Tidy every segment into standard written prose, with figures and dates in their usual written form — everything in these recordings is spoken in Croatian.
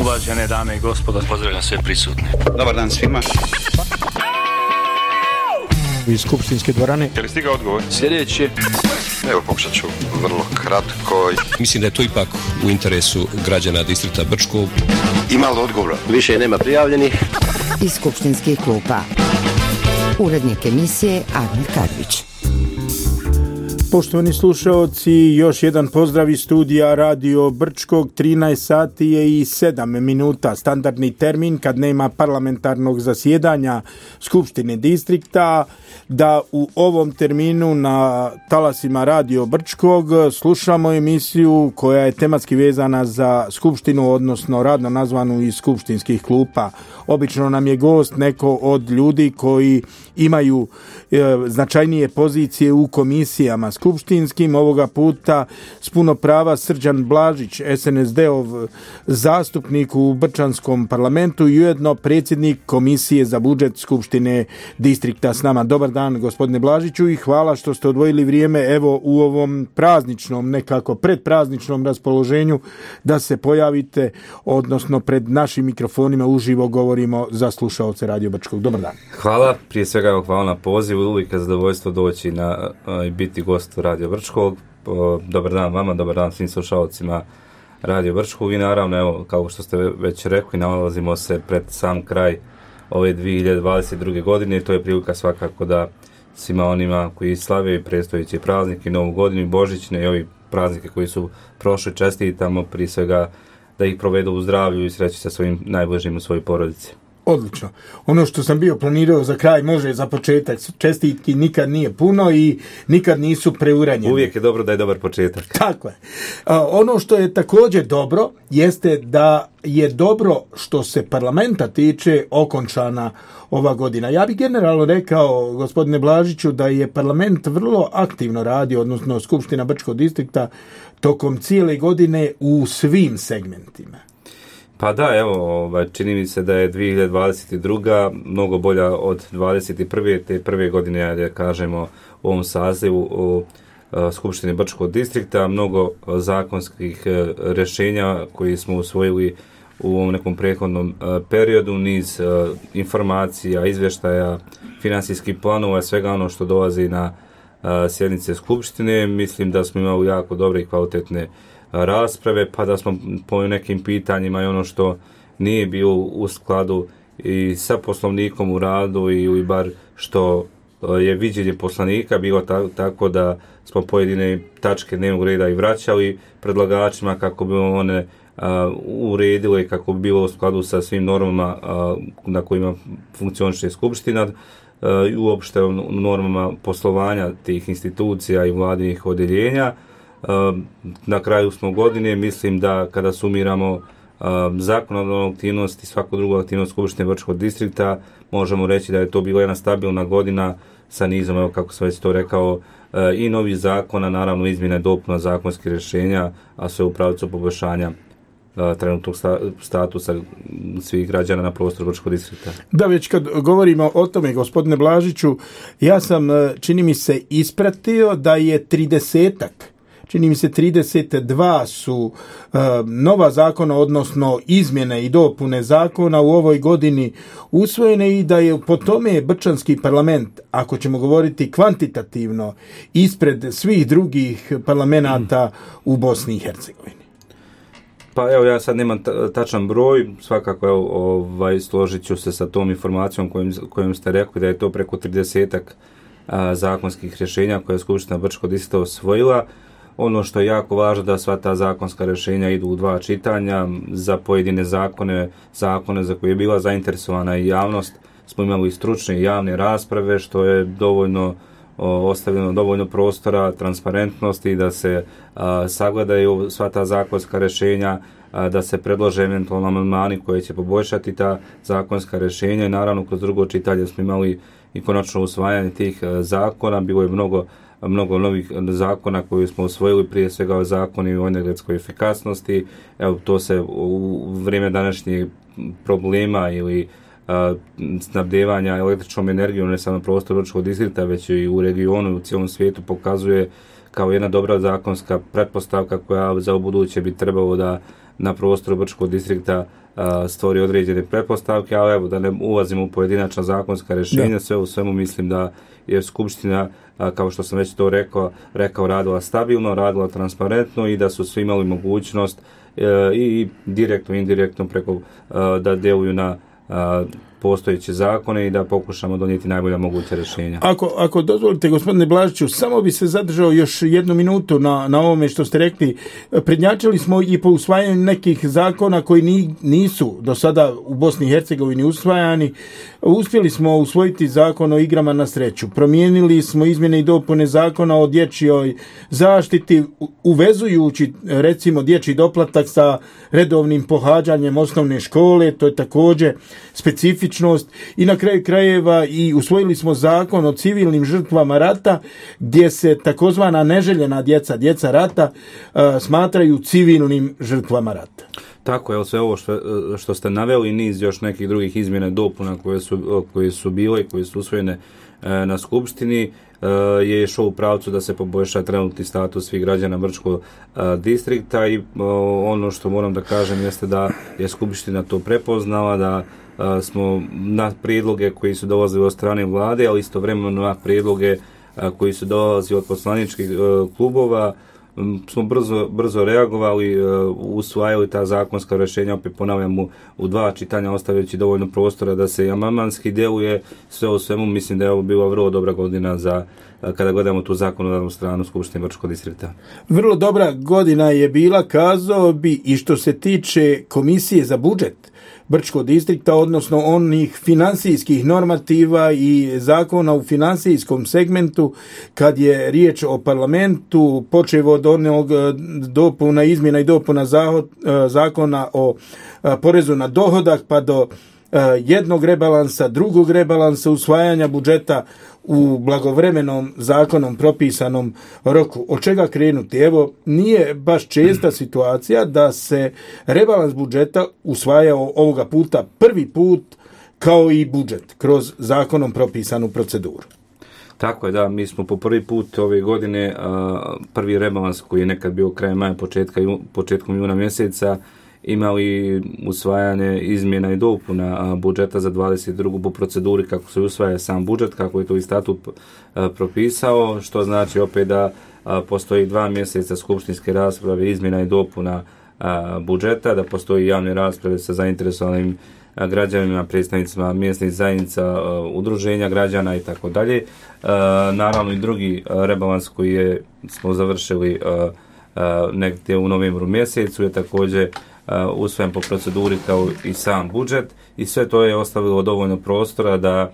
Uvažene dame i gospodo, pozdravljam sve prisutne. Dobar dan svima. Iz skupštinske dvorane. Je li stigao odgovor? Sljedeće. Evo, pokušat ću vrlo kratko. Mislim da je to ipak u interesu građana distrikta Brčkog. Ima li odgovora? Više nema prijavljenih. Iz skupštinskih klupa. Urednik emisije Admir Karvić. Poštovani slušaoci, još jedan pozdrav iz studija Radio Brčkog. 13 sati je i 7 minuta. Standardni termin kad nema parlamentarnog zasjedanja Skupštine distrikta, da u ovom terminu na talasima Radio Brčkog slušamo emisiju koja je tematski vezana za Skupštinu, odnosno radno nazvanu iz skupštinskih klupa. Obično nam je gost neko od ljudi koji imaju značajnije pozicije u komisijama skupštinskim. Ovoga puta s puno prava Srđan Blažić, SNSD-ov zastupnik u Brčanskom parlamentu i ujedno predsjednik Komisije za budžet Skupštine distrikta s nama. Dobar dan, gospodine Blažiću, i hvala što ste odvojili vrijeme evo u ovom prazničnom, nekako predprazničnom raspoloženju da se pojavite, odnosno pred našim mikrofonima uživo govorimo za slušaoce Radio Brčkog. Dobar dan. Hvala, prije svega hvala na pozivu, uvijek je zadovoljstvo doći i biti gost Radio Brčkog. Dobar dan vama, dobar dan svim slušalcima Radio Brčkog i naravno, evo, kao što ste već rekli, nalazimo se pred sam kraj ove 2022. godine i to je prilika svakako da svima onima koji slave predstojeći praznik i Novu godinu i Božićne i ovi praznike koji su prošli čestitamo, prije svega da ih provedu u zdravlju i sreći sa svojim najbližim u svojoj porodici. Odlično. Ono što sam bio planirao za kraj može za početak. Čestitki nikad nije puno i nikad nisu preuranjene. Uvijek je dobro da je dobar početak. Tako je. Ono što je također dobro jeste da je dobro što se parlamenta tiče okončana ova godina. Ja bih generalno rekao, gospodine Blažiću, da je parlament vrlo aktivno radio, odnosno Skupština Brčkog distrikta, tokom cijele godine u svim segmentima. Pa da, evo, čini mi se da je 2022. mnogo bolja od 2021. te prve godine, da kažemo, u ovom sazivu u Skupštini Brčkog distrikta, mnogo zakonskih rješenja koji smo usvojili u ovom nekom prethodnom periodu, niz informacija, izvještaja, financijskih planova, svega ono što dolazi na sjednice Skupštine. Mislim da smo imali jako dobre i kvalitetne rasprave, pa da smo po nekim pitanjima i ono što nije bilo u skladu i sa poslovnikom u radu ili bar što je viđenje poslanika bilo tako da smo pojedine tačke dnevnog reda i vraćali predlagačima kako bi one uredile, kako bi bilo u skladu sa svim normama na kojima funkcioniše Skupština i uopšte normama poslovanja tih institucija i vladinih odjeljenja. Na kraju smo godine, mislim da kada sumiramo zakonodavnu aktivnost i svaku drugu aktivnost Skupštine Brčkog distrikta, možemo reći da je to bila jedna stabilna godina sa nizom, evo kako sam već to rekao, i novih zakona, naravno izmjene i dopuna zakonskih rješenja, a sve u pravcu poboljšanja trenutnog statusa svih građana na prostoru Brčkog distrikta. Da, već kad govorimo o tome, gospodine Blažiću, ja sam, čini mi se, ispratio da je 32 su nova zakona, odnosno izmjene i dopune zakona u ovoj godini usvojene i da je po tome Brčanski parlament, ako ćemo govoriti kvantitativno, ispred svih drugih parlamenata u Bosni i Hercegovini. Pa evo, ja sad nemam tačan broj, svakako složit ću se sa tom informacijom kojom ste rekli da je to preko 30-ak zakonskih rješenja koje je Skupština Brčkog distrikta osvojila. Ono što je jako važno da sva ta zakonska rješenja idu u 2 čitanja. Za pojedine zakone za koje je bila zainteresovana i javnost smo imali stručne i javne rasprave, što je ostavljeno dovoljno prostora, transparentnosti da se sagledaju sva ta zakonska rješenja, da se predlože eventualno amandmani koji će poboljšati ta zakonska rješenja i naravno kroz drugo čitanje smo imali i konačno usvajanje tih zakona. Bilo je mnogo novih zakona koje smo usvojili, prije svega zakoni o energetskoj efikasnosti. Evo, to se u vrijeme današnjih problema ili snabdevanja električnom energijom ne samo na prostoru Brčkog distrikta, već i u regionu i u cijelom svijetu pokazuje kao jedna dobra zakonska pretpostavka koja za ubuduće bi trebalo da na prostoru Brčkog distrikta stvori određene pretpostavke, ali evo da ne ulazimo u pojedinačna zakonska rješenja, sve u svemu mislim da je Skupština, kao što sam već to rekao, radila stabilno, radila transparentno i da su svi imali mogućnost i direktno i indirektno preko da djeluju na postojeće zakone i da pokušamo donijeti najbolja moguća rješenja. Ako dozvolite, gospodine Blažiću, samo bi se zadržao još jednu minutu na ovome što ste rekli. Prednjačili smo i po usvajanju nekih zakona koji nisu do sada u Bosni i Hercegovini usvajani. Uspjeli smo usvojiti zakon o igrama na sreću. Promijenili smo izmjene i dopune zakona o dječjoj zaštiti, uvezujući recimo dječji doplatak sa redovnim pohađanjem osnovne škole. To je također specifičnost. I na kraju krajeva i usvojili smo zakon o civilnim žrtvama rata, gdje se takozvana neželjena djeca rata smatraju civilnim žrtvama rata. Tako je, sve ovo što ste naveli i niz još nekih drugih izmjena i dopuna koje su bile i koje su usvojene na Skupštini je išao u pravcu da se poboljša trenutni status svih građana Brčkog distrikta i ono što moram da kažem jeste da je Skupština to prepoznala, da smo na prijedloge koji su dolazili od strane vlade, ali istovremeno na prijedloge koji su dolazili od poslaničkih klubova, smo brzo reagovali, usvajali ta zakonska rješenja, opet ponavljam u 2 čitanja, ostavljajući dovoljno prostora da se i amandmanski djeluje. Sve u svemu mislim da je ovo bila vrlo dobra godina za kada gledamo tu zakonodavnu stranu Skupštine Brčkog distrikta. Vrlo dobra godina je bila, kazao bi, i što se tiče Komisije za budžet Brčkog distrikta, odnosno onih financijskih normativa i zakona u financijskom segmentu, kad je riječ o parlamentu, počev od onog izmjena i dopuna zakona o porezu na dohodak, pa do jednog rebalansa, drugog rebalansa, usvajanja budžeta u blagovremenom zakonom propisanom roku. Od čega krenuti? Evo, nije baš česta situacija da se rebalans budžeta usvajao ovoga puta prvi put kao i budžet kroz zakonom propisanu proceduru. Tako je, da, mi smo po prvi put ove godine prvi rebalans koji je nekad bio krajem maja, početkom juna mjeseca, imali usvajanje izmjena i dopuna budžeta za 22. po proceduri kako se usvaja sam budžet, kako je to i statut propisao, što znači opet da postoji 2 mjeseca skupštinske rasprave izmjena i dopuna budžeta, da postoji javne rasprave sa zainteresovanim građanima, predstavnicima mjesnih zajednica, udruženja građana i tako dalje. Naravno i drugi rebalans koji smo završili negdje u novembru mjesecu je također usvojen po proceduri kao i sam budžet i sve to je ostavilo dovoljno prostora da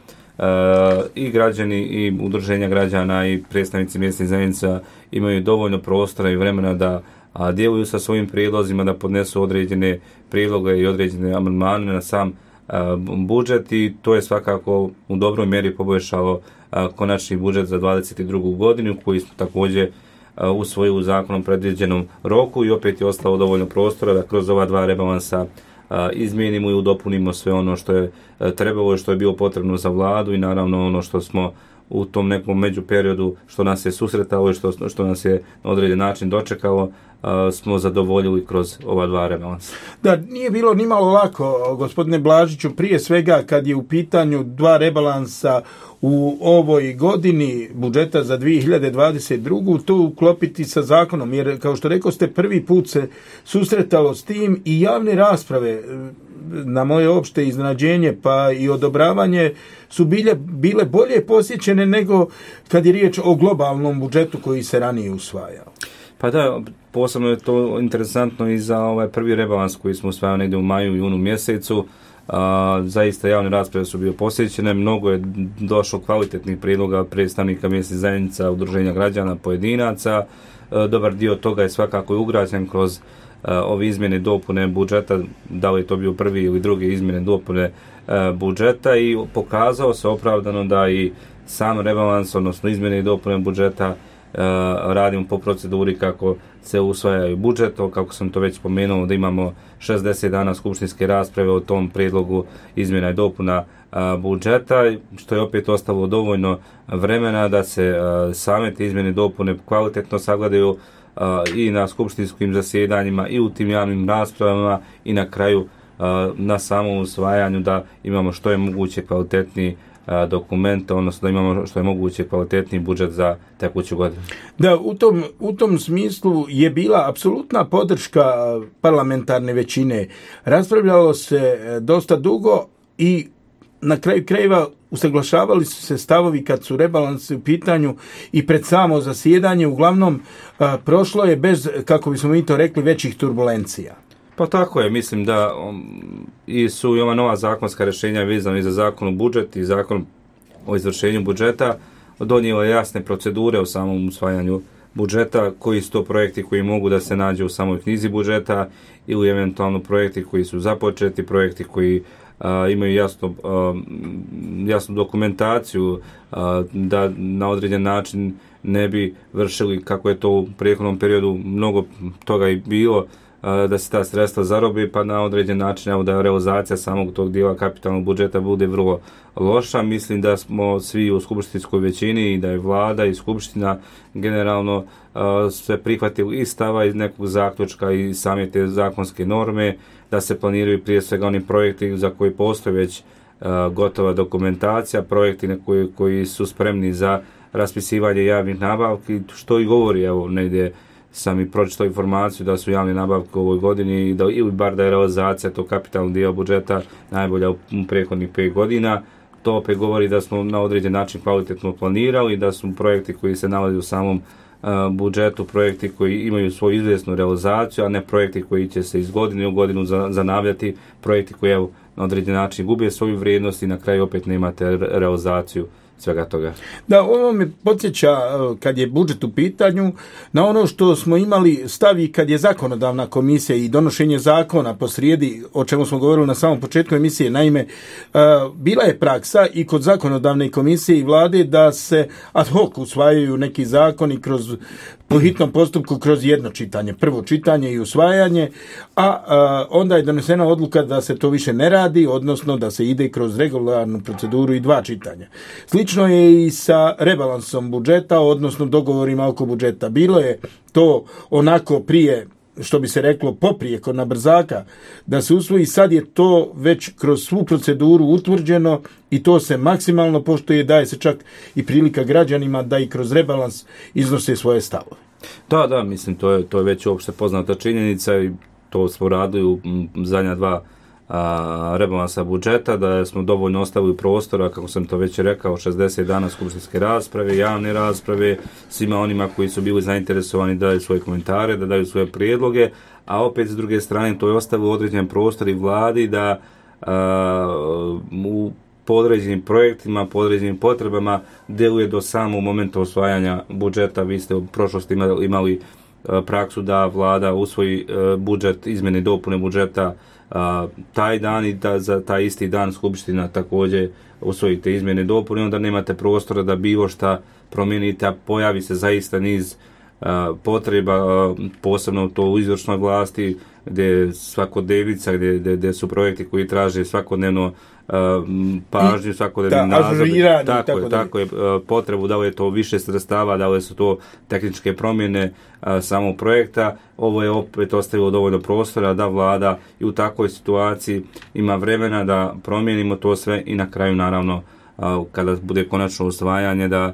i građani i udruženja građana i predstavnici mjesnih zajednica imaju dovoljno prostora i vremena da djeluju sa svojim prijedlozima, da podnesu određene prijedloge i određene amandmane na sam budžet i to je svakako u dobroj mjeri poboljšalo konačni budžet za 22. godinu koji smo također usvojili u zakonom predviđenom roku i opet je ostalo dovoljno prostora da kroz ova 2 rebalansa izmijenimo i udopunimo sve ono što je trebalo i što je bilo potrebno za vladu i naravno ono što smo u tom nekom međuperiodu što nas je susretalo i što nas je na određen način dočekalo, smo zadovoljili kroz ova 2 rebalansa. Da, nije bilo ni malo lako, gospodine Blažiću, prije svega kad je u pitanju 2 rebalansa u ovoj godini budžeta za 2022. to uklopiti sa zakonom, jer kao što rekao ste, prvi put se susretalo s tim i javne rasprave, na moje opšte iznenađenje pa i odobravanje, su bile bolje posjećene nego kad je riječ o globalnom budžetu koji se ranije usvajao. Pa da, posebno je to interesantno i za ovaj prvi rebalans koji smo usvajali negdje u maju i junu mjesecu. Zaista javne rasprave su bile posjećene, mnogo je došlo kvalitetnih prijedloga predstavnika mjesnih zajednica, udruženja građana, pojedinaca. Dobar dio toga je svakako ugrađen kroz ove izmjene i dopune budžeta, da li je to bio prvi ili drugi izmjene i dopune budžeta i pokazao se opravdano da i sam rebalans, odnosno izmjene i dopune budžeta radimo po proceduri kako se usvajaju budžet, kako sam to već spomenuo, da imamo 60 dana skupštinske rasprave o tom prijedlogu izmjena i dopuna budžeta, što je opet ostalo dovoljno vremena da se same te izmjene i dopune kvalitetno sagledaju i na skupštinskim zasjedanjima i u tim javnim raspravama i na kraju na samom usvajanju da imamo što je moguće kvalitetniji dokument, odnosno da imamo što je moguće kvalitetniji budžet za tekuću godinu. Da, u tom smislu je bila apsolutna podrška parlamentarne većine. Raspravljalo se dosta dugo i na kraju krajeva usaglašavali su se stavovi kad su rebalansi u pitanju i pred samo zasjedanje. Uglavnom, prošlo je bez, kako bismo mi to rekli, većih turbulencija. Pa tako je, mislim da su i ova nova zakonska rješenja vezana i za zakon o budžet i zakon o izvršenju budžeta donijela jasne procedure u samom usvajanju budžeta, koji su to projekti koji mogu da se nađu u samoj knjizi budžeta ili eventualno projekti koji su započeti, projekti koji imaju jasnu dokumentaciju da na određen način ne bi vršili, kako je to u prethodnom periodu mnogo toga i bilo, da se ta sredstva zarobi, pa na određen način evo, da realizacija samog tog dijela kapitalnog budžeta bude vrlo loša. Mislim da smo svi u skupštinskoj većini i da je vlada i skupština generalno sve prihvatili i stava iz nekog zaključka i same te zakonske norme, da se planiraju prije svega oni projekti za koji postoji već gotova dokumentacija, projekti koji su spremni za raspisivanje javnih nabavki, što i govori, evo negdje sam i pročitao informaciju da su javne nabavke u ovoj godini ili bar da je realizacija tog kapitalnog dijela budžeta najbolja u prethodnih 5 godina. To opet govori da smo na određen način kvalitetno planirali, da su projekti koji se nalaze u samom budžetu, projekti koji imaju svoju izvjesnu realizaciju, a ne projekti koji će se iz godine u godinu zanavljati, projekti koji evo, na određen način gube svoju vrijednost i na kraju opet nemate realizaciju svega toga. Da, ovo me podsjeća, kad je budžet u pitanju, na ono što smo imali stavi kad je zakonodavna komisija i donošenje zakona posrijedi, o čemu smo govorili na samom početku emisije. Naime, bila je praksa i kod zakonodavne komisije i vlade da se ad hoc usvajaju neki zakoni po hitnom postupku kroz jedno čitanje, prvo čitanje i usvajanje, a onda je donesena odluka da se to više ne radi, odnosno da se ide kroz regularnu proceduru i 2 čitanja. Slično je i sa rebalansom budžeta, odnosno dogovorima oko budžeta. Bilo je to onako prije, što bi se reklo, poprijeko na brzaka, da se usvoji. Sad je to već kroz svu proceduru utvrđeno i to se maksimalno poštuje, daje se čak i prilika građanima da i kroz rebalans iznose svoje stavove. Da, mislim, to je već uopšte poznata činjenica i to smo radili u zadnja 2 rebalansa budžeta, da smo dovoljno ostavili prostora, kako sam to već rekao, 60 dana skupštinske rasprave, javne rasprave, svima onima koji su bili zainteresovani da daju svoje komentare, da daju svoje prijedloge, a opet s druge strane to je ostavilo određen prostor i vladi da u podređenim projektima, podređenim potrebama djeluje do samog momenta osvajanja budžeta. Vi ste u prošlosti imali praksu da vlada usvoji budžet, izmjene i dopune budžeta taj dan i da za taj isti dan skupština također usvojite izmjene i dopune, onda nemate prostora da bilo šta promijenite, a pojavi se zaista niz potreba, posebno to u izvršnoj vlasti, gdje svakodnevnica, gdje su projekti koji traže svakodnevno pažnju, svakodnevni nadzor. Tako je potrebu, da li je to više sredstava, da li su to tehničke promjene samog projekta. Ovo je opet ostavilo dovoljno prostora da vlada i u takvoj situaciji ima vremena da promijenimo to sve i na kraju naravno kada bude konačno usvajanje da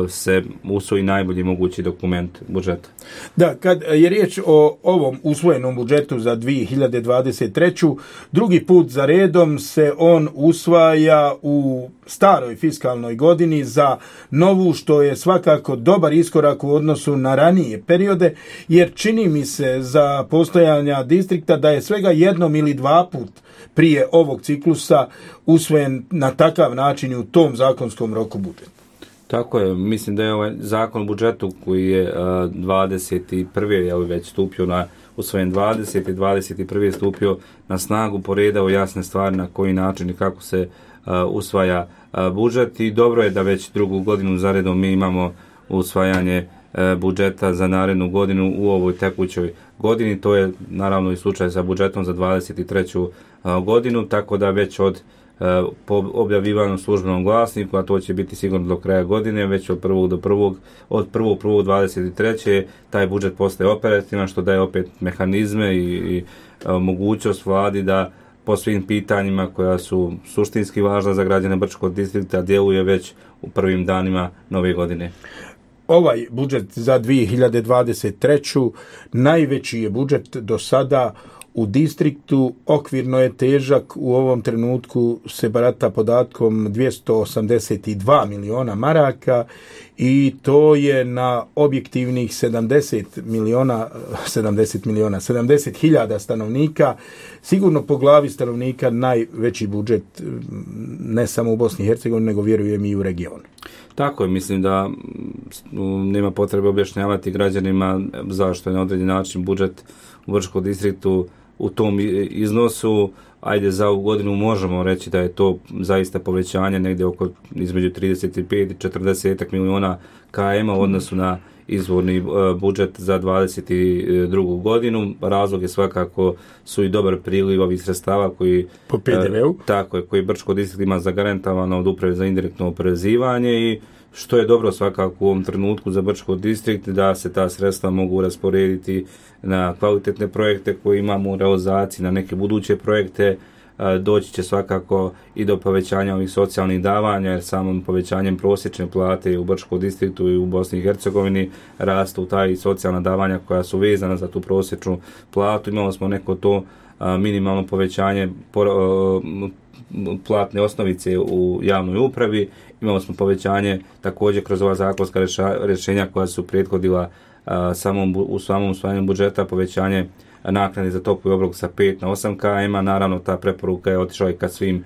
se usvoji najbolji mogući dokument budžeta. Da, kad je riječ o ovom usvojenom budžetu za 2023. drugi put za redom se on usvaja u staroj fiskalnoj godini za novu, što je svakako dobar iskorak u odnosu na ranije periode, jer čini mi se za postojanja distrikta da je svega 1 ili 2 put prije ovog ciklusa usvojen na takav način i u tom zakonskom roku budžet. Tako je, mislim da je ovaj zakon o budžetu koji je 21. je već stupio usvojen 20. i 21. stupio na snagu, poredao jasne stvari na koji način i kako se usvaja budžet i dobro je da već drugu godinu zaredom mi imamo usvajanje budžeta za narednu godinu u ovoj tekućoj godini. To je naravno i slučaj sa budžetom za 23. godinu, tako da već od po objavljivanom službenom glasniku, a to će biti sigurno do kraja godine, već od 1.1.23. taj budžet postaje operativan, što daje opet mehanizme i mogućnost vladi da po svim pitanjima koja su suštinski važna za građane Brčkog distrikta djeluje već u prvim danima nove godine. Ovaj budžet za 2023. najveći je budžet do sada u distriktu, okvirno je težak, u ovom trenutku se barata podatkom 282 miliona maraka i to je na objektivnih 70.000 stanovnika, sigurno po glavi stanovnika najveći budžet ne samo u Bosni i Hercegovini, nego vjerujem i u regionu. Tako je, mislim da nema potrebe objašnjavati građanima zašto je na određen način budžet u Brčkom distriktu u tom iznosu. Ajde, za ovu godinu možemo reći da je to zaista povećanje negdje oko između 35 i 40 miliona km u odnosu na izvorni budžet za 22. godinu. Razlog je svakako su i dobar priliv ovih sredstava koji po PDV-u. Tako je, koji Brčko distrikt ima zagarantovano od Uprave za indirektno oporezivanje i što je dobro svakako u ovom trenutku za Brčko distrikt da se ta sredstva mogu rasporediti na kvalitetne projekte koje imamo u realizaciji, na neke buduće projekte. Doći će svakako i do povećanja ovih socijalnih davanja, jer samom povećanjem prosječne plate u Brčkom distriktu i u Bosni i Hercegovini rastu taj socijalna davanja koja su vezana za tu prosječnu platu. Imali smo neko to minimalno povećanje platne osnovice u javnoj upravi. Imali smo povećanje također kroz ova zakonska rješenja koja su prethodila u samom usvajanju budžeta, povećanje naknade za topli obrok sa 5 na 8 km. Naravno, ta preporuka je otišla i ka svim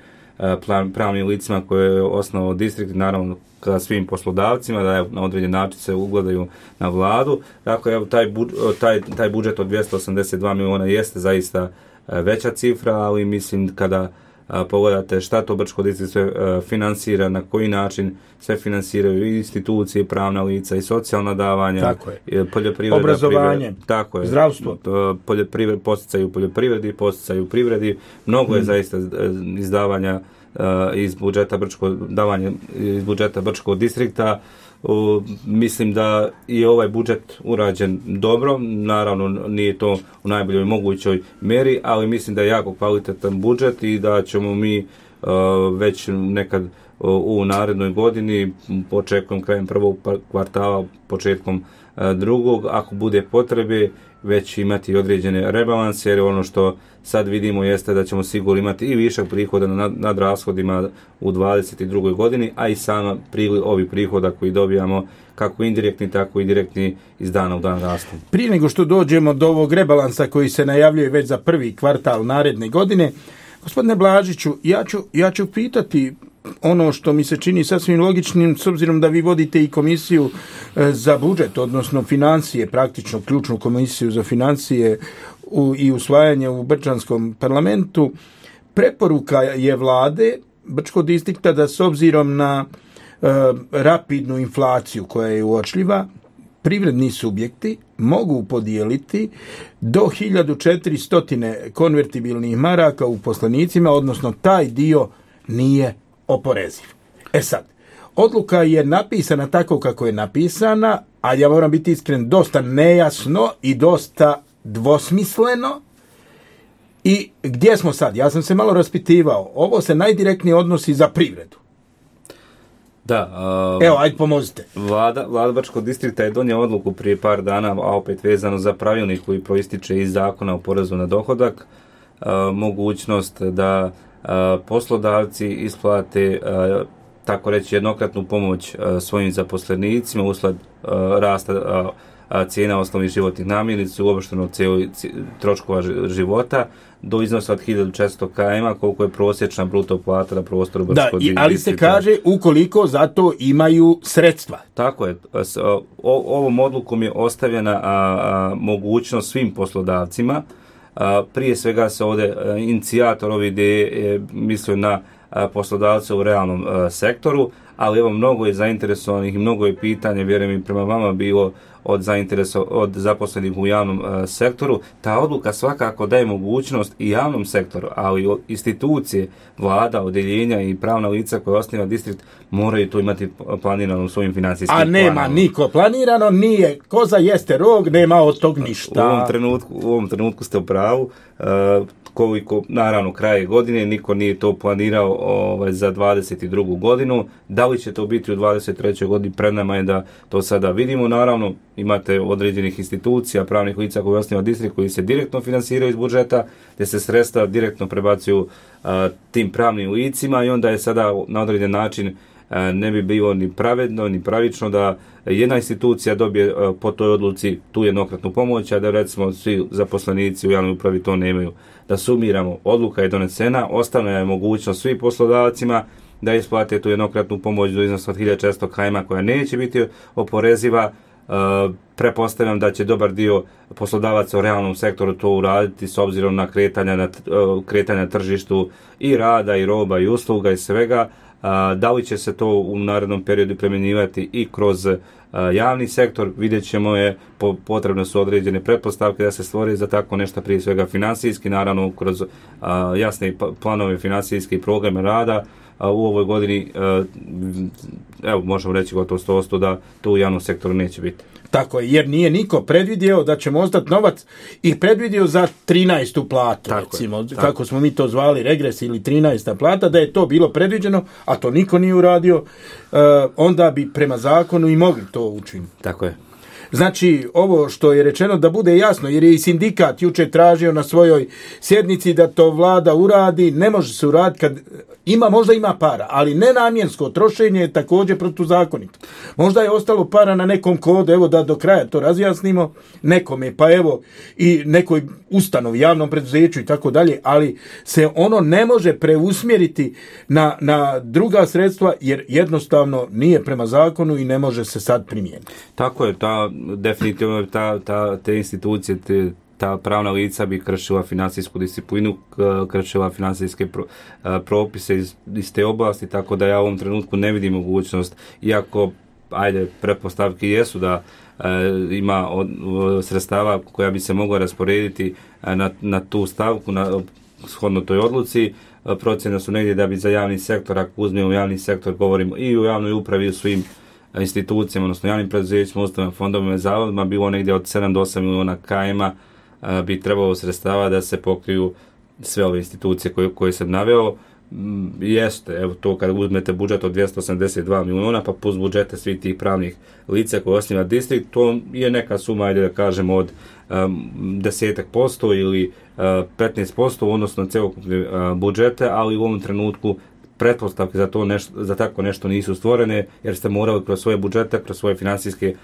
pravnim licima koje je osnovao distrikt, naravno ka svim poslodavcima, da na određen način se ugledaju na vladu. Dakle, evo, taj budžet od 282 miliona jeste zaista veća cifra, ali mislim kada pogledate šta to Brčko distrikt sve finansira, na koji način sve finansiraju i institucije, pravna lica i socijalna davanja, poljoprivreda, obrazovanje, zdravstvo, posticaju poljoprivredi, posticaju privredi, mnogo je zaista izdavanja iz budžeta Brčkog distrikta. Mislim da je ovaj budžet urađen dobro, naravno nije to u najboljoj mogućoj mjeri, ali mislim da je jako kvalitetan budžet i da ćemo mi već nekad u narednoj godini, očekujem krajem prvog kvartala, početkom drugog, ako bude potrebe, već imati određene rebalanse, jer ono što sad vidimo jeste da ćemo sigurno imati i višak prihoda nad rashodima u 2022. godini, a i sama priliv ovih prihoda koji dobijamo, kako indirektni, tako i direktni, iz dana u dan rastu. Prije nego što dođemo do ovog rebalansa koji se najavljuje već za prvi kvartal naredne godine, gospodine Blažiću, ja ću pitati ono što mi se čini sasvim logičnim, s obzirom da vi vodite i komisiju za budžet, odnosno financije, praktično ključnu komisiju za financije i usvajanje u Brčanskom parlamentu. Preporuka je vlade Brčkog distrikta da s obzirom na rapidnu inflaciju koja je uočljiva, privredni subjekti mogu podijeliti do 1400 konvertibilnih maraka u poslanicima, odnosno taj dio nije oporeziv. Sad, odluka je napisana tako kako je napisana, a ja moram biti iskren, dosta nejasno i dosta dvosmisleno. I gdje smo sad? Ja sam se malo raspitivao. Ovo se najdirektnije odnosi za privredu. Da. Evo, ajde pomozite. Vlada Brčkog distrikta je donijela odluku prije par dana, a opet vezano za pravilnik koji proističe iz zakona o porezu na dohodak, mogućnost da poslodavci isplate tako reći jednokratnu pomoć svojim zaposlenicima usled rasta cijena osnovnih životnih namirnica, uopšteno troškova života, do iznosa od 1400 km, koliko je prosječna bruto plata na prostoru Brčkog distrikta. Ali se kaže ukoliko za to imaju sredstva. Tako je. Ovom odlukom je ostavljena mogućnost svim poslodavcima. Prije svega se ovdje inicijator ove ideje mislio na poslodavce u realnom sektoru, ali evo mnogo je zainteresovanih i mnogo je pitanja, vjerujem i prema vama bilo od zaposlenih u javnom sektoru. Ta odluka svakako daje mogućnost i javnom sektoru, ali i institucije, vlada, odjeljenja i pravna lica koja osniva distrikt moraju to imati planirano u svojim financijskim planovima. A nema niko planirano, nije koza jeste rog, nema od tog ništa. U ovom trenutku ste u pravu. Koliko, naravno, kraje godine, niko nije to planirao za 22. godinu. Da li će to biti u 23. godini, pred nama je da to sada vidimo. Naravno, imate određenih institucija, pravnih lica koji osniva distrikt, koji se direktno finansiraju iz budžeta, gdje se sredstva direktno prebacuju tim pravnim licima i onda je sada na određen način ne bi bilo ni pravedno, ni pravično da jedna institucija dobije po toj odluci tu jednokratnu pomoć, a da recimo svi zaposlenici u javnoj upravi to nemaju. Da sumiramo, odluka je donesena, ostane je mogućnost svim poslodavcima da isplate tu jednokratnu pomoć do iznosa od 1400 km koja neće biti oporeziva. Pretpostavljam da će dobar dio poslodavaca u realnom sektoru to uraditi s obzirom na kretanja na tržištu i rada, i roba, i usluga, i svega. Da li će se to u narednom periodu primjenjivati i kroz javni sektor, vidjet ćemo potrebne su određene pretpostavke da se stvori za tako nešto, prije svega finansijski, naravno kroz jasne planove financijske i programe rada. U ovoj godini, evo možemo reći gotovo 100% da to u javnom sektoru neće biti. Tako je, jer nije niko predvidio da ćemo ostati novac i predvidio za 13. platu, recimo, kako smo mi to zvali, regres ili 13. plata, da je to bilo predviđeno, a to niko nije uradio, onda bi prema zakonu i mogli to učiniti. Tako je. Znači, ovo što je rečeno da bude jasno, jer je i sindikat jučer tražio na svojoj sjednici da to vlada uradi, ne može se uraditi kad možda ima para, ali nenamjensko trošenje je također protuzakonito. Možda je ostalo para na nekom kodu, evo da do kraja to razjasnimo, nekome, pa evo i nekoj ustanovi, javnom preduzeću i tako dalje, ali se ono ne može preusmjeriti na druga sredstva jer jednostavno nije prema zakonu i ne može se sad primijeniti. Tako je, definitivno te institucije, ta pravna lica bi kršila financijsku disciplinu, kršila financijske propise iz te oblasti, tako da ja u ovom trenutku ne vidim mogućnost, iako pretpostavke jesu da ima sredstava koja bi se mogla rasporediti na tu stavku, shodno toj odluci. Procjene su negdje da bi za javni sektor, ako uzmemo javni sektor, govorimo i u javnoj upravi i u svim institucijama, odnosno javnim preduzećima, ustanovama, fondovima i zavodima, bilo negdje od 7 do 8 miliona km bi trebalo sredstava da se pokriju sve ove institucije koje sam naveo. Jeste, evo to kad uzmete budžet od 282 miliona pa plus budžete svih tih pravnih lica koje osniva distrikt, to je neka suma, da kažemo, od 10% ili 15% odnosno celokupne budžete, ali u ovom trenutku pretpostavke za tako nešto nisu stvorene, jer ste morali kroz svoje budžete, kroz svoje financijske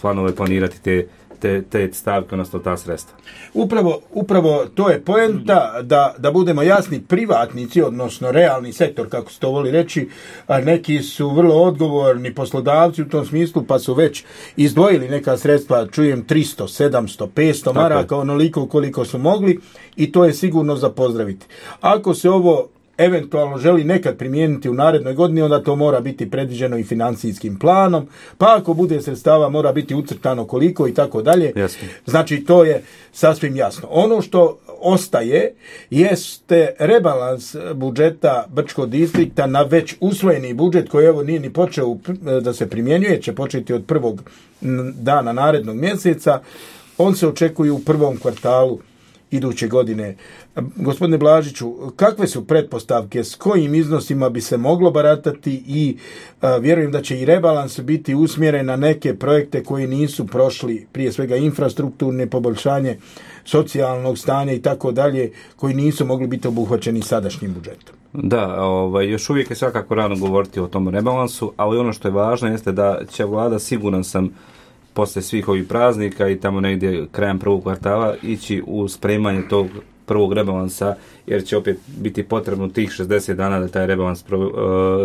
planove planirati te stavke, odnosno ta sredstva. Upravo to je poenta, da budemo jasni, privatnici, odnosno realni sektor, kako se to voli reći, neki su vrlo odgovorni poslodavci u tom smislu, pa su već izdvojili neka sredstva, čujem 300, 700, 500 maraka, onoliko koliko su mogli, i to je sigurno za pozdraviti. Ako se ovo eventualno želi nekad primijeniti u narednoj godini, onda to mora biti predviđeno i financijskim planom, pa ako bude sredstava mora biti ucrtano koliko i tako dalje. Znači to je sasvim jasno. Ono što ostaje jeste rebalans budžeta Brčkog distrikta na već usvojeni budžet koji evo nije ni počeo da se primjenjuje, će početi od prvog dana narednog mjeseca. On se očekuje u prvom kvartalu iduće godine. Gospodine Blažiću, kakve su pretpostavke, s kojim iznosima bi se moglo baratati i vjerujem da će i rebalans biti usmjeren na neke projekte koji nisu prošli, prije svega infrastrukturne poboljšanje socijalnog stanja i tako dalje, koji nisu mogli biti obuhvaćeni sadašnjim budžetom? Da, još uvijek je svakako rano govoriti o tom rebalansu, ali ono što je važno jeste da će vlada, siguran sam, poslije svih ovih praznika i tamo negdje krajem prvog kvartala ići u spremanje tog prvog rebalansa, jer će opet biti potrebno tih 60 dana da taj rebalans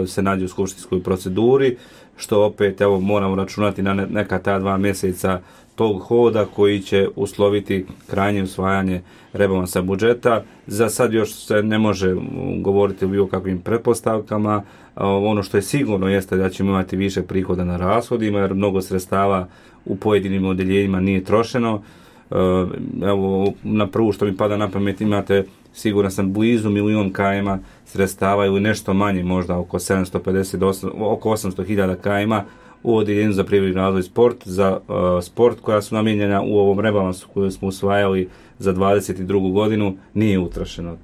se nađe u skupštinskoj proceduri, što opet evo moramo računati na neka ta 2 mjeseca tog hoda koji će usloviti krajnje usvajanje rebalansa budžeta. Za sad još se ne može govoriti o bilo kakvim pretpostavkama. Ono što je sigurno jeste da ćemo imati više prihoda na rashodima, jer mnogo sredstava u pojedinim odeljenjima nije trošeno. Evo, na prvu što mi pada na pamet, imate, siguran sam, blizu 1 milion km sredstava ili nešto manje, možda oko 800.000 km u odeljenju za privredni razvoj sport, za sport, koja su namijenjena u ovom rebalansu koju smo usvajali za 22. godinu, nije utrošeno.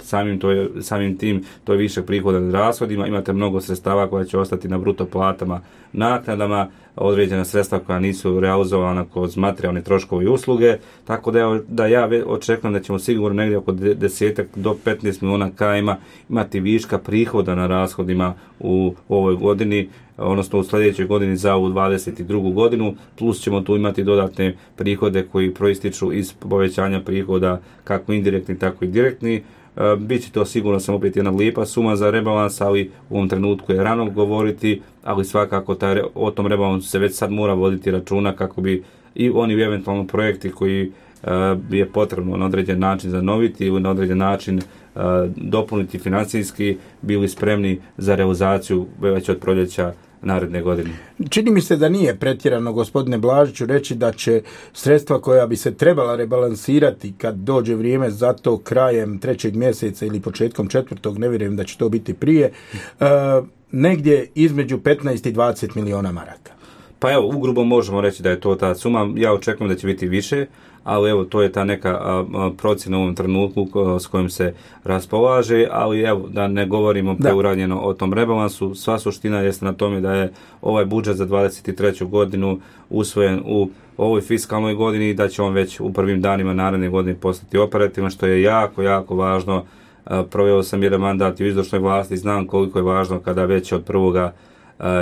Samim tim to je više prihoda na rashodima, imate mnogo sredstava koja će ostati na bruto platama, naknadama, određena sredstva koja nisu realizovana kroz materijalne troškove i usluge, tako da ja očekujem da ćemo sigurno negdje oko 10 do 15 miliona km imati viška prihoda na rashodima u ovoj godini, odnosno u sljedećoj godini za ovu 22. godinu, plus ćemo tu imati dodatne prihode koji proističu iz povećanja prihoda, kako indirektni, tako i direktni. Biće to sigurno sam opet jedna lijepa suma za rebalans, ali u ovom trenutku je rano govoriti, ali svakako o tom rebalansu se već sad mora voditi računa kako bi i oni eventualno projekti koji je potrebno na određen način zanoviti ili na određen način dopuniti financijski, bili spremni za realizaciju već od proljeća naredne godine. Čini mi se da nije pretjerano, gospodine Blažiću, reći da će sredstva koja bi se trebala rebalansirati kad dođe vrijeme za to krajem 3. mjeseca ili početkom 4. ne vjerujem da će to biti prije, negdje između 15 i 20 miliona maraka. Pa evo, ugrubo možemo reći da je to ta suma. Ja očekujem da će biti više, ali evo, to je ta neka procjena u ovom trenutku s kojim se raspolaže, ali evo, da ne govorimo preuranjeno o tom rebalansu. Sva suština jeste na tome da je ovaj budžet za 23. godinu usvojen u ovoj fiskalnoj godini i da će on već u prvim danima naredne godine postati operativan, što je jako, jako važno. Proveo sam jedan mandat u izvršnoj vlasti, znam koliko je važno kada već od 1.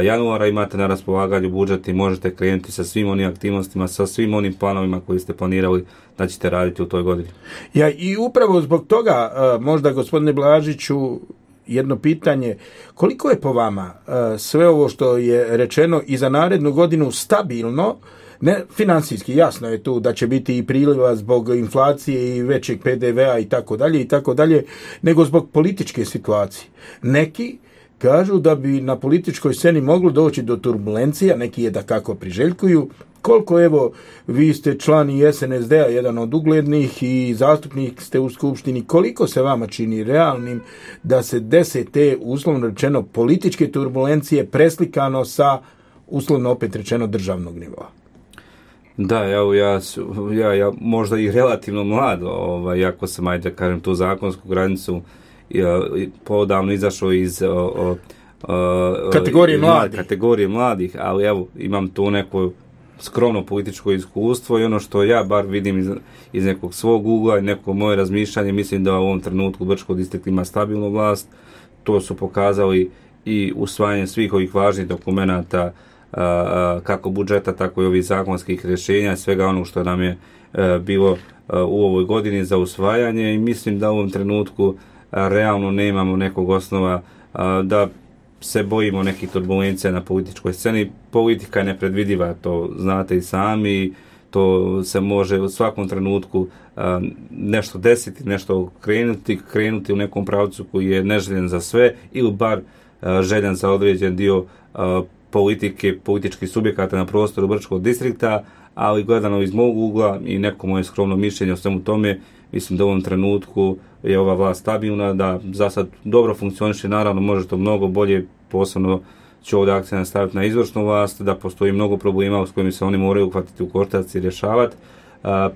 januara imate na raspolaganju budžet i možete krenuti sa svim onim aktivnostima, sa svim onim planovima koji ste planirali da ćete raditi u toj godini. Ja, i upravo zbog toga, možda gospodine Blažiću, jedno pitanje, koliko je po vama sve ovo što je rečeno i za narednu godinu stabilno, ne financijski, jasno je tu da će biti i priliva zbog inflacije i većeg PDV-a i tako dalje, nego zbog političke situacije. Neki kažu da bi na političkoj sceni moglo doći do turbulencija, neki je da kako priželjkuju. Koliko, evo, vi ste član i SNSD-a, jedan od uglednih i zastupnik ste u Skupštini, koliko se vama čini realnim da se dese te, uslovno rečeno, političke turbulencije preslikano sa, uslovno opet rečeno, državnog nivoa? Da, evo, ja možda i relativno mlad, jako sam, ajde kažem, tu zakonsku granicu podavno izašao iz kategorije mladih, ali evo, imam tu neko skromno političko iskustvo i ono što ja bar vidim iz nekog svog ugla i neko moje razmišljanje, mislim da u ovom trenutku Brčko distrikt ima stabilnu vlast. To su pokazali i usvajanje svih ovih važnih dokumenata, kako budžeta, tako i ovih zakonskih rješenja, svega onog što nam je bilo u ovoj godini za usvajanje, i mislim da u ovom trenutku realno nemamo nekog osnova da se bojimo nekih turbulencija na političkoj sceni. Politika je nepredvidiva, to znate i sami, to se može u svakom trenutku nešto desiti, nešto krenuti u nekom pravcu koji je neželjen za sve ili bar željen za određen dio političkih subjekata na prostoru Brčkog distrikta, ali gledano iz mog ugla i neko moje skromno mišljenje o svemu tome, mislim da u ovom trenutku je ova vlast stabilna, da za sad dobro funkcioniše, naravno može to mnogo bolje, posebno ću ovdje akcent staviti na izvršnu vlast, da postoji mnogo problema s kojima se oni moraju uhvatiti u koštac i rješavati.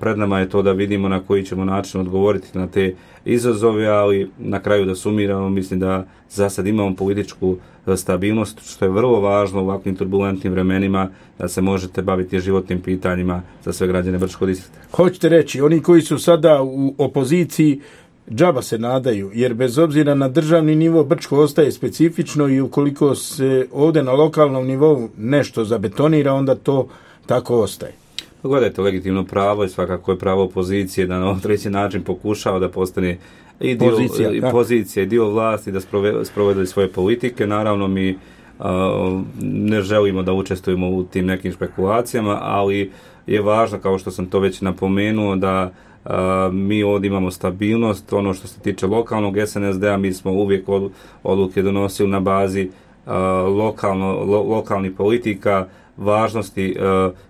Pred nama je to da vidimo na koji ćemo način odgovoriti na te izazove, ali na kraju da sumiramo, mislim da za sad imamo političku stabilnost, što je vrlo važno u ovakvim turbulentnim vremenima, da se možete baviti životnim pitanjima za sve građane Brčkog distrikta. Hoćete reći, oni koji su sada u opoziciji džaba se nadaju, jer bez obzira na državni nivo Brčko ostaje specifično i ukoliko se ovdje na lokalnom nivou nešto zabetonira, onda to tako ostaje. Pa gledajte, legitimno pravo i svakako je pravo opozicije da na određen način pokušava da postane i dio pozicija i dio vlasti da sprovede svoje politike. Naravno mi ne želimo da učestvujemo u tim nekim špekulacijama, ali je važno, kao što sam to već napomenuo, da mi ovdje imamo stabilnost. Ono što se tiče lokalnog SNSD-a, mi smo uvijek odluke donosili na bazi lokalnih politika, važnosti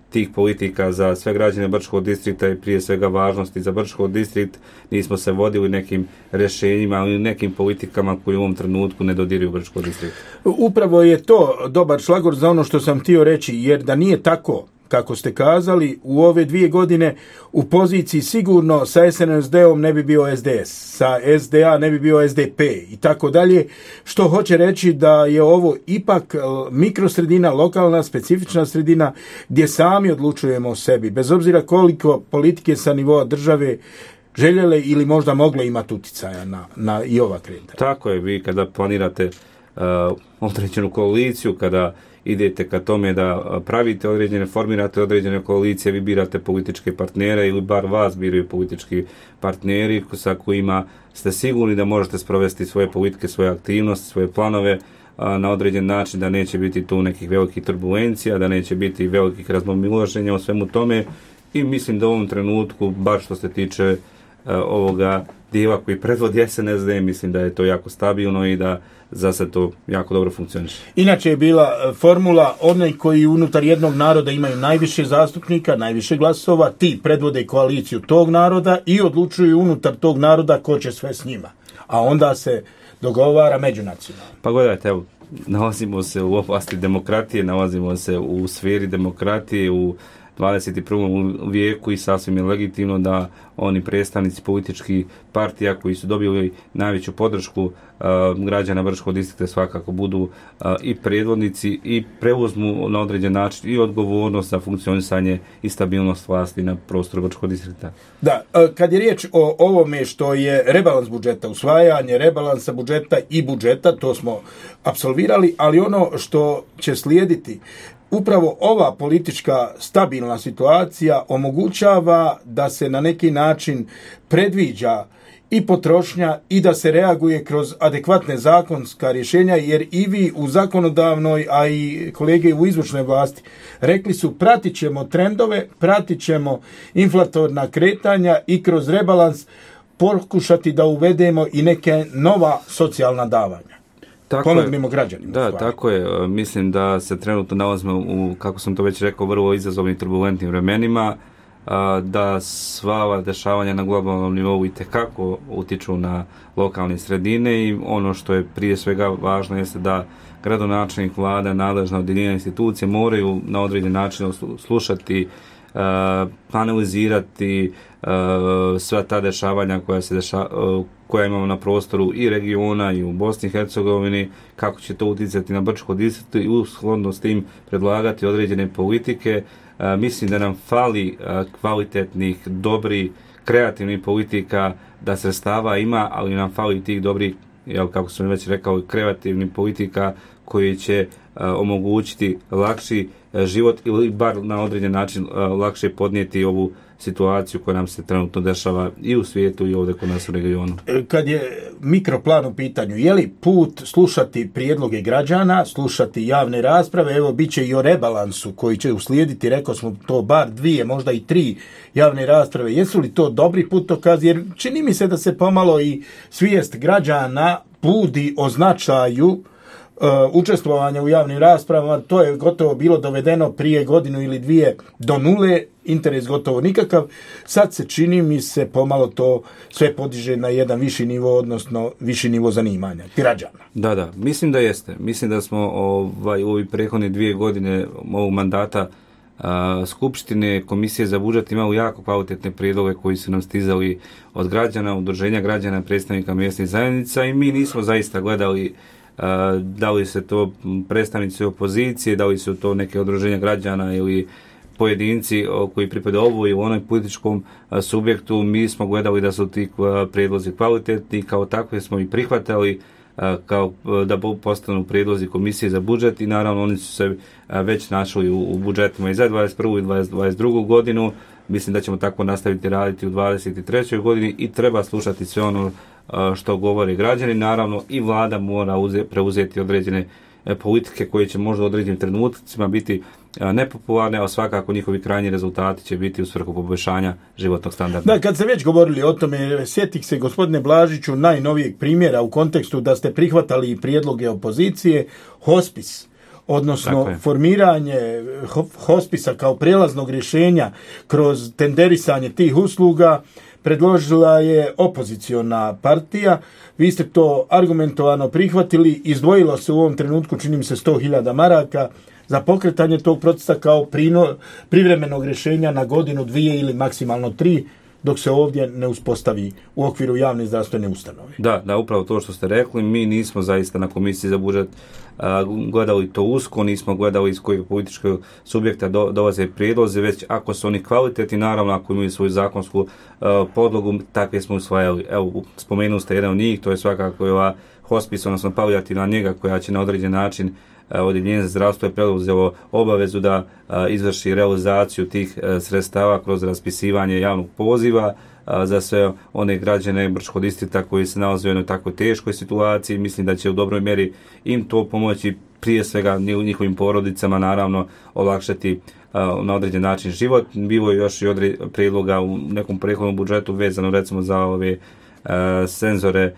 tih politika za sve građane Brčkog distrikta i prije svega važnosti za Brčkog distrikt. Nismo se vodili nekim rješenjima, ali nekim politikama koji u ovom trenutku ne dodiruju Brčkog distrikta. Upravo je to dobar šlagor za ono što sam htio reći, jer da nije tako, kako ste kazali, u ove 2 godine u poziciji sigurno sa SNSD-om ne bi bio SDS, sa SDA ne bi bio SDP i tako dalje, što hoće reći da je ovo ipak mikrosredina, lokalna, specifična sredina gdje sami odlučujemo o sebi, bez obzira koliko politike sa nivoa države željele ili možda mogle imati utjecaja na i ova kretanja. Tako je, vi kada planirate određenu koaliciju, kada idete ka tome da pravite formirate određene koalicije, vi birate političke partnere ili bar vas biraju politički partneri sa kojima ste sigurni da možete sprovesti svoje politike, svoje aktivnosti, svoje planove na određen način, da neće biti tu nekih velikih turbulencija, da neće biti velikih razmimoilaženja o svemu tome. I mislim da u ovom trenutku, bar što se tiče ovoga dijela koji predvodi SNSD, mislim da je to jako stabilno i da za sad to jako dobro funkcioniše. Inače je bila formula onaj koji unutar jednog naroda imaju najviše zastupnika, najviše glasova, ti predvode koaliciju tog naroda i odlučuju unutar tog naroda ko će sve s njima. A onda se dogovara međunacionalno. Pa gledajte, evo, nalazimo se u oblasti demokratije, nalazimo se u sferi demokratije, u 21. vijeku i sasvim je legitimno da oni predstavnici političkih partija koji su dobili najveću podršku građana Brčkog distrikta svakako budu i predvodnici i preuzmu na određen način i odgovornost za funkcionisanje i stabilnost vlasti na prostoru Brčkog distrikta. Da, kad je riječ o ovome što je rebalans budžeta, usvajanje rebalansa budžeta i budžeta, to smo apsolvirali, ali ono što će slijediti, upravo ova politička stabilna situacija omogućava da se na neki način predviđa i potrošnja i da se reaguje kroz adekvatne zakonska rješenja, jer i vi u zakonodavnoj, a i kolege u izvršnoj vlasti rekli su pratit ćemo trendove, pratit ćemo inflatorna kretanja i kroz rebalans pokušati da uvedemo i neke nova socijalna davanja. Pomognimo građanima. Da, tako je. Mislim da se trenutno nalazimo u, kako sam to već rekao, vrlo izazovnim turbulentnim vremenima, da sva ova dešavanja na globalnom nivou itekako utiču na lokalne sredine i ono što je prije svega važno jeste da gradonačelnik, vlada, nadležna odjeljenja institucije moraju na određen način slušati, analizirati sva ta dešavanja koja imamo na prostoru i regiona i u Bosni i Hercegovini, kako će to utjecati na Brčko distrikt i ushodno s tim predlagati određene politike. Mislim da nam fali kvalitetnih, dobrih, kreativnih politika, da sredstava ima, ali nam fali tih dobrih, kako sam već rekao, kreativnih politika koji će omogućiti lakši život ili bar na određen način lakše podnijeti ovu situaciju koja nam se trenutno dešava i u svijetu i ovdje kod nas u regionu. Kad je mikroplan u pitanju, je li put slušati prijedloge građana, slušati javne rasprave, evo bit će i o rebalansu koji će uslijediti, rekao smo to bar 2, možda i 3 javne rasprave, jesu li to dobri putokazi, jer čini mi se da se pomalo i svijest građana budi o značaju učestvovanja u javnim raspravama. To je gotovo bilo dovedeno prije 1 ili 2 do nule, interes gotovo nikakav. Sad se čini mi se pomalo to sve podiže na jedan viši nivo, odnosno viši nivo zanimanja građana. Da, mislim da jeste. Mislim da smo u ovih prethodne 2 godine ovog mandata Skupštine, Komisije za budžet imali jako kvalitetne prijedloge koji su nam stizali od građana, udruženja građana, predstavnika mjesnih zajednica i mi nismo zaista gledali da li se to predstavnici opozicije, da li su to neke udruženja građana ili pojedinci koji pripadaju ovu ili onoj političkom subjektu. Mi smo gledali da su ti prijedlozi kvalitetni, kao takve smo i prihvatali. kao da postanu prijedlozi komisije za budžet i naravno oni su se već našli u budžetima i za 21. i 22. godinu. Mislim da ćemo tako nastaviti raditi u 23. godini i treba slušati sve ono što govore građani. Naravno i vlada mora preuzeti određene politike koje će možda u određenim trenucima biti nepopularne, a svakako njihovi krajnji rezultati će biti u svrhu poboljšanja životnog standarda. Da, kad ste već govorili o tome, sjetih se, gospodine Blažiću, najnovijeg primjera u kontekstu da ste prihvatali prijedloge opozicije, hospis, odnosno formiranje hospisa kao prijelaznog rješenja kroz tenderisanje tih usluga predložila je opoziciona partija. Vi ste to argumentovano prihvatili, izdvojilo se u ovom trenutku, čini mi se, 100.000 maraka za pokretanje tog procesa kao privremenog rješenja na godinu, 2 ili maksimalno 3, dok se ovdje ne uspostavi u okviru javne zdravstvene ustanove. Da, upravo to što ste rekli, mi nismo zaista na komisiji za budžet gledali to usko, nismo gledali iz kojeg političkog subjekta dolaze prijedlozi, već ako su oni kvalitetni, naravno ako imaju svoju zakonsku podlogu, takve smo usvajali. Evo, spomenuli ste jedan od njih, to je svakako ova hospis, odnosno palijativna njega koja će na određen način Odjeljenje za zdravstvo je preuzelo obavezu da izvrši realizaciju tih sredstava kroz raspisivanje javnog poziva za sve one građane Brčkog distrikta koji se nalaze u jednoj tako teškoj situaciji. Mislim da će u dobroj mjeri im to pomoći, prije svega njihovim porodicama, naravno olakšati na određen način život. Bilo je još i prijedloga u nekom prethodnom budžetu vezano recimo za ove senzore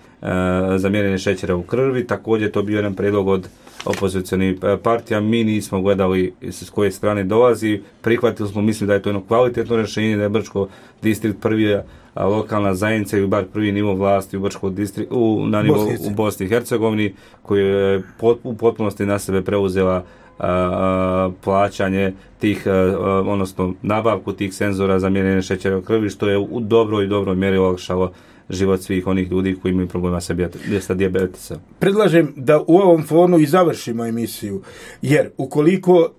za mjerenje šećera u krvi. Također to bio jedan prijedlog od opozicionih partija. Mi nismo gledali s koje strane dolazi, prihvatili smo, mislim da je to jedno kvalitetno rješenje, da je Brčko distrikt prvi lokalna zajednica ili bar prvi nivo vlasti u Brčkom distriktu, na nivou u Bosni i Hercegovini, koji je u potpunosti na sebe preuzela plaćanje tih, odnosno nabavku tih senzora za mjerenje šećera u krvi, što je u dobroj mjeri olakšalo život svih onih ljudi koji imaju problema sa dijabetesa. Predlažem da u ovom fonu i završimo emisiju, jer ukoliko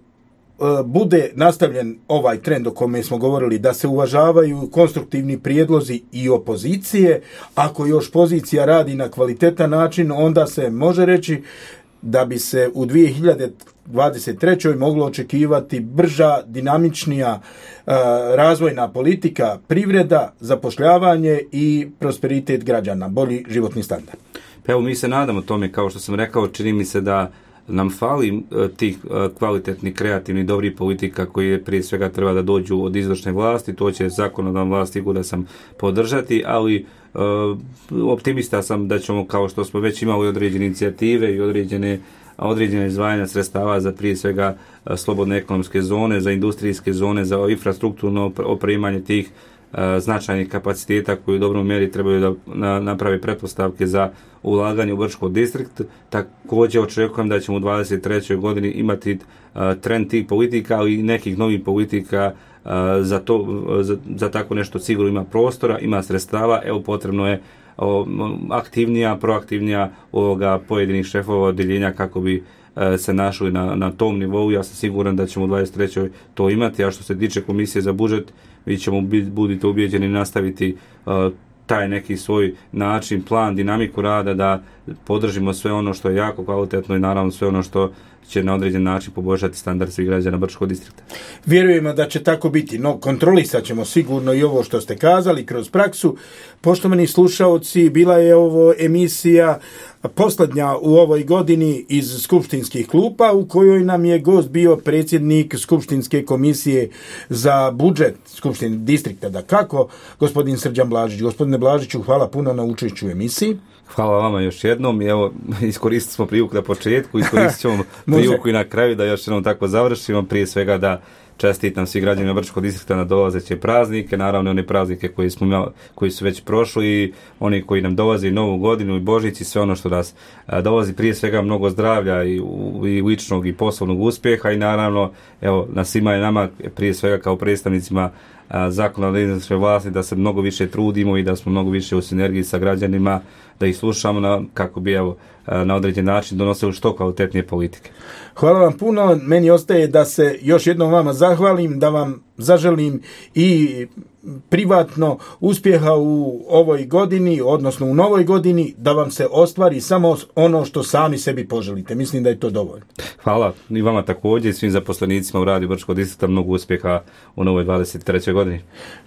bude nastavljen ovaj trend o kome smo govorili, da se uvažavaju konstruktivni prijedlozi i opozicije, ako još pozicija radi na kvalitetan način, onda se može reći da bi se u 2023. moglo očekivati brža, dinamičnija razvojna politika, privreda, zapošljavanje i prosperitet građana, bolji životni standard. Pa evo, mi se nadamo tome, kao što sam rekao, čini mi se da nam fali tih kvalitetnih, kreativnih, dobrih politika koji prije svega treba da dođu od izvršne vlasti. To će zakonodavna vlast sigurno sam podržati, ali optimista sam da ćemo, kao što smo već imali određene inicijative i određene izdvajanja sredstava za prije svega slobodne ekonomske zone, za industrijske zone, za infrastrukturno opremanje tih značajnih kapaciteta koji u dobroj mjeri trebaju da naprave pretpostavke za ulaganje u Brčko distrikt. Također očekujem da ćemo u 23. godini imati trend tih politika, ali i nekih novih politika za tako nešto sigurno ima prostora, ima sredstava. Evo, potrebno je proaktivnija uloga pojedinih šefova odjeljenja kako bi se našli na tom nivou. Ja sam siguran da ćemo u 23. to imati, a što se tiče komisije za budžet, vi ćemo budite ubijeđeni nastaviti taj neki svoj način, plan, dinamiku rada, da podržimo sve ono što je jako kvalitetno i naravno sve ono što će na određen način poboljšati standard svih građana Brčkog distrikta. Vjerujemo da će tako biti, no kontrolisat ćemo sigurno i ovo što ste kazali kroz praksu. Poštovani slušaoci, bila je ovo emisija posljednja u ovoj godini iz skupštinskih klupa, u kojoj nam je gost bio predsjednik Skupštinske komisije za budžet Skupštine distrikta, dakako, gospodin Srđan Blažić. Gospodine Blažiću, hvala puno na učešću u emisiji. Hvala vama još jednom i evo, iskoristili smo priliku na početku, iskoristit ćemo priliku i na kraju da još jednom tako završimo. Prije svega da čestitam svi građanima Brčkog distrikta na dolazeće praznike, naravno one praznike koji su već prošli i oni koji nam dolaze i Novu godinu i Božić i sve ono što nas dolazi, prije svega mnogo zdravlja i ličnog i poslovnog uspjeha i naravno evo, na svima je nama prije svega kao predstavnicima zakonodavne izvršne vlasti da se mnogo više trudimo i da smo mnogo više u sinergiji sa građanima, da ih slušamo kako bi na određen način donosili što kvalitetnije politike. Hvala vam puno. Meni ostaje da se još jednom vama zahvalim, da vam zaželim i privatno uspjeha u ovoj godini, odnosno u novoj godini, da vam se ostvari samo ono što sami sebi poželite. Mislim da je to dovoljno. Hvala i vama također i svim zaposlenicima u Radiju Brčkog distrikta, mnogo uspjeha u novoj 23. godini.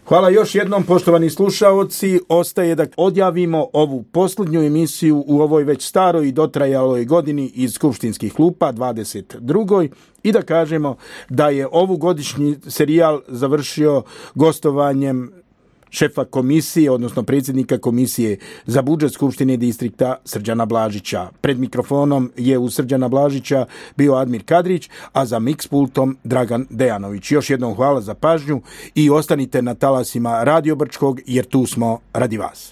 Hvala još jednom, poštovani slušaoci. Ostaje da odjavimo ovu posljednju emisiju u ovoj već staroj i dotrajaloj godini iz skupštinskih klupa 22. i da kažemo da je ovu godišnji serijal završio gostovanjem šefa komisije, odnosno predsjednika komisije za budžet Skupštine distrikta Srđana Blažića. Pred mikrofonom je u Srđana Blažića bio Admir Kadrić, a za mix pultom Dragan Dejanović. Još jednom hvala za pažnju i ostanite na talasima Radio Brčkog jer tu smo radi vas.